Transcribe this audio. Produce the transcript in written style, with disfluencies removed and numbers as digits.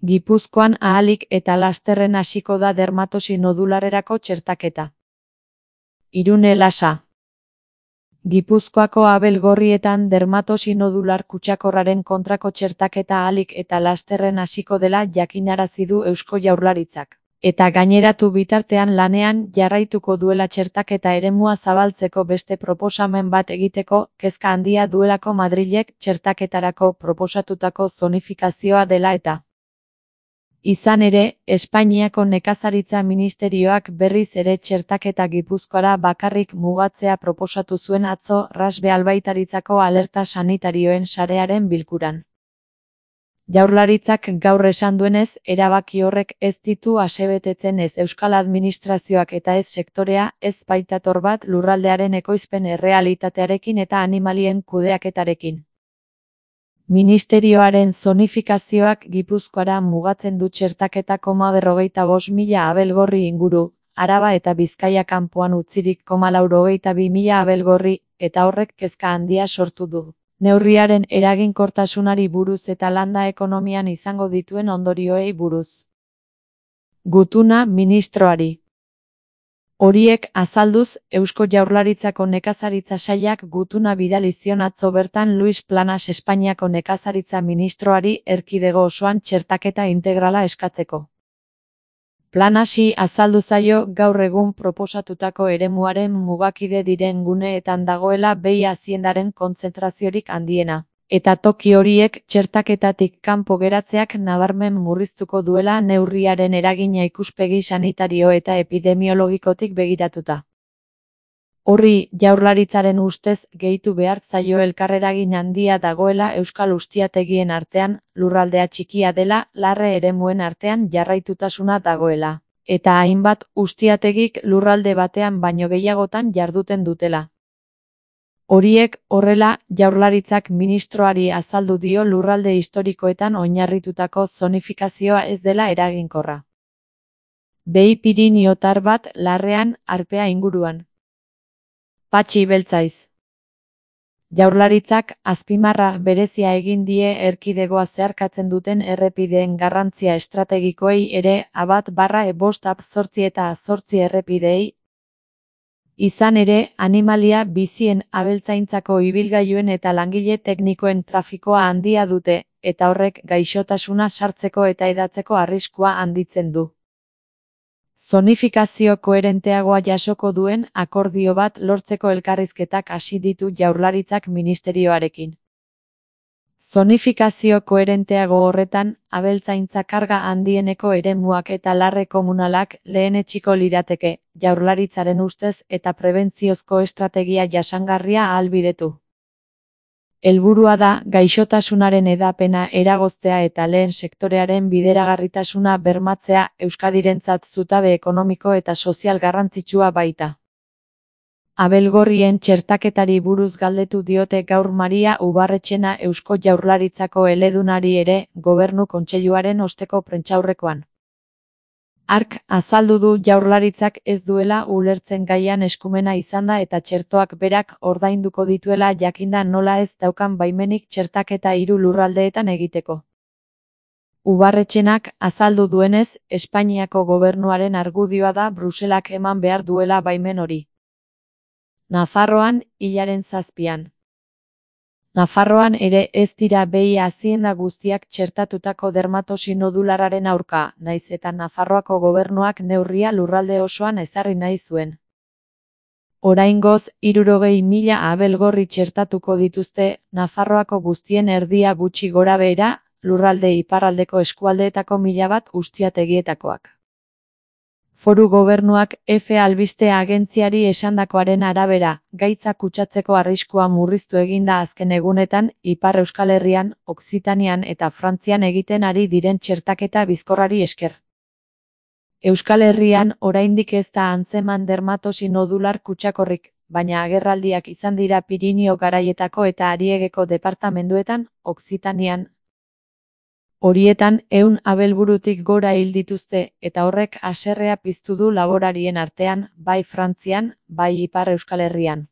Gipuzkoan ahalik eta lasterren hasiko da dermatosi nodularerako txertaketa. Irune Lasa. Gipuzkoako Abelgorrietan dermatosi nodular kutsakorraren kontrako txertaketa ahalik eta lasterren hasiko dela jakinarazi du Eusko Jaurlaritzak. Eta gaineratu bitartean lanean jarraituko duela txertaketa eremua zabaltzeko beste proposamen bat egiteko kezka handia duelako Madrilek txertaketarako proposatutako zonifikazioa dela eta. Izan ere, Espainiako Nekazaritza Ministerioak berriz ere txertaketa Gipuzkoara bakarrik mugatzea proposatu zuen atzo Rasbe Albaitaritzako alerta sanitarioen sarearen bilkuran. Jaurlaritzak gaur esan duenez, erabaki horrek ez ditu asebetetzen ez Euskal Administrazioak eta ez sektorea, ez baitator bat lurraldearen ekoizpen errealitatearekin eta animalien kudeaketarekin. Ministerioaren zonifikazioak Gipuzkoara mugatzen du txertaketa 55.000 abelgorri inguru, Araba eta Bizkaia kanpoan utzirik 82.000 abelgorri, eta horrek kezka handia sortu du. Neurriaren eraginkortasunari buruz eta landa ekonomian izango dituen ondorioei buruz. Gutuna ministroari. Horiek azalduz, Eusko Jaurlaritzako Nekazaritza Sailak gutuna bidali zion atzo bertan Luis Planas Espainiako Nekazaritza ministroari erkidego osoan txertaketa integrala eskatzeko. Planasi azaldu zaio gaur egun proposatutako eremuaren mugakide diren guneetan dagoela behi aziendaren kontzentraziorik handiena, eta toki horiek txertaketatik kanpo geratzeak nabarmen murriztuko duela neurriaren eragina ikuspegi sanitario eta epidemiologikotik begiratuta. Horri Jaurlaritzaren ustez gehitu behar zaio elkarreragin handia dagoela euskal ustiategien artean, lurraldea txikia dela, larre eremuen artean jarraitutasuna dagoela, eta hainbat ustiategik lurralde batean baino gehiagotan jarduten dutela. Horiek horrela, Jaurlaritzak ministroari azaldu dio lurralde historikoetan oinarritutako zonifikazioa ez dela eraginkorra. Behi piriniotar bat larrean, Arpea inguruan. Patxi Beltzaiz. Jaurlaritzak azpimarra berezia egin die erkidegoa zeharkatzen duten errepideen garrantzia estrategikoei ere A1/5/8 eta A8 errepideei. Izan ere, animalia bizien abeltzaintzako ibilgailuen eta langile teknikoen trafikoa handia dute, eta horrek gaixotasuna sartzeko eta hedatzeko arriskua handitzen du. Zonifikazio koherenteagoa jasoko duen akordio bat lortzeko elkarrizketak hasi ditu Jaurlaritzak ministerioarekin. Zonifikazio koherenteago horretan, abeltzaintza karga handieneko eremuak eta larre komunalak lehenetsiko lirateke, Jaurlaritzaren ustez eta prebentziozko estrategia jasangarria ahalbidetu. Helburua da, gaixotasunaren hedapena eragoztea eta lehen sektorearen bideragarritasuna bermatzea Euskadirentzat zutabe ekonomiko eta sozial garrantzitsua baita. Abelgorrien txertaketari buruz galdetu diote gaur Maria Ubarretxena Eusko Jaurlaritzako eledunari ere, Gobernu Kontseiluaren osteko prentsaurrekoan. Hark azaldu du Jaurlaritzak ez duela ulertzen gaian eskumena izanda eta txertoak berak ordainduko dituela jakinda nola ez daukan baimenik txertaketa 3 lurraldeetan egiteko. Ubarretxenak azaldu duenez, Espainiako gobernuaren argudioa da Bruselak eman behar duela baimen hori. Nafarroan, hilaren 7an. Nafarroan ere ez dira behi azienda guztiak txertatutako dermatosi nodulararen aurka, nahiz eta Nafarroako gobernuak neurria lurralde osoan ezarri nahi zuen. Oraingoz, 60.000 abelgorri txertatuko dituzte, Nafarroako guztien erdia gutxi gorabehera, lurralde iparraldeko eskualdeetako 1000 ustiategietakoak. Foru gobernuak F albiste agentziari esandakoaren arabera, gaitza kutsatzeko arriskua murriztu eginda azken egunetan, Ipar Euskal Herrian, Okzitanian eta Frantzian egiten ari diren txertaketa bizkorrari esker. Euskal Herrian oraindik ez da antzeman dermatosi nodular kutsakorrik, baina agerraldiak izan dira Pirinio garaietako eta Ariegeko departamenduetan, Okzitanian. Horietan 100 abelburutik gora hil dituzte, eta horrek haserrea piztu du laborarien artean, bai Frantzian, bai Ipar Euskal Herrian.